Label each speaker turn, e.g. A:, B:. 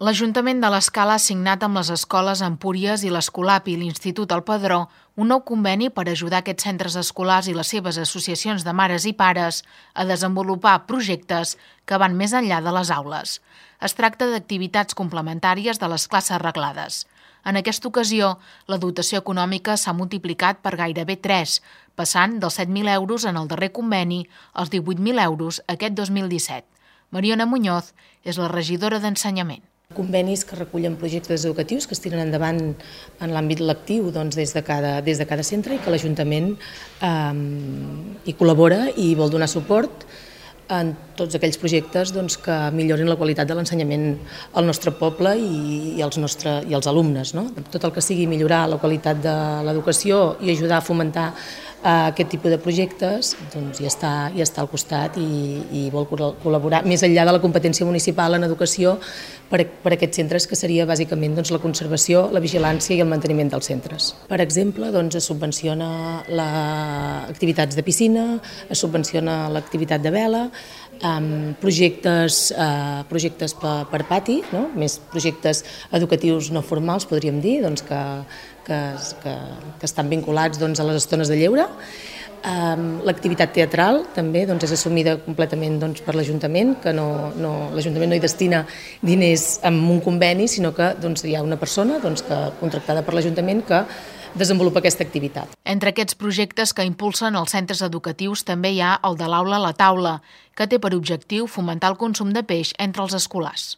A: L'Ajuntament de l'Escala ha signat amb les escoles Empúries i l'Escolap i l'Institut El Padró un nou conveni per ajudar aquests centres escolars i les seves associacions de mares i pares a desenvolupar projectes que van més enllà de les aules. Es tracta d'activitats complementàries de les classes reglades. En aquesta ocasió, la dotació econòmica s'ha multiplicat per gairebé 3, passant dels 7.000 euros en el darrer conveni als 18.000 euros aquest 2017. Mariona Muñoz és la regidora d'Ensenyament.
B: Convenis que recullen projectes educatius que es tiren endavant en l'àmbit lectiu des de cada centre i que l'Ajuntament hi col·labora i vol donar suport en tots aquells projectes que millorin la qualitat de l'ensenyament al nostre poble i als alumnes. Tot el que sigui millorar la qualitat de l'educació i ajudar a fomentar aquest tipus de projectes ja està al costat i vol col·laborar més enllà de la competència municipal en educació per a aquests centres, que seria bàsicament la conservació, la vigilància i el manteniment dels centres. Per exemple, es subvenciona activitats de piscina, es subvenciona l'activitat de vela, projectes per pati, més projectes educatius no formals, podríem dir, que estan vinculats a les estones de lleure. L'activitat teatral també és assumida completament per l'Ajuntament, que l'Ajuntament no hi destina diners amb un conveni, sinó que hi ha una persona contractada per l'Ajuntament que desenvolupa aquesta activitat.
A: Entre aquests projectes que impulsen els centres educatius també hi ha el de l'aula a la taula, que té per objectiu fomentar el consum de peix entre els escolars.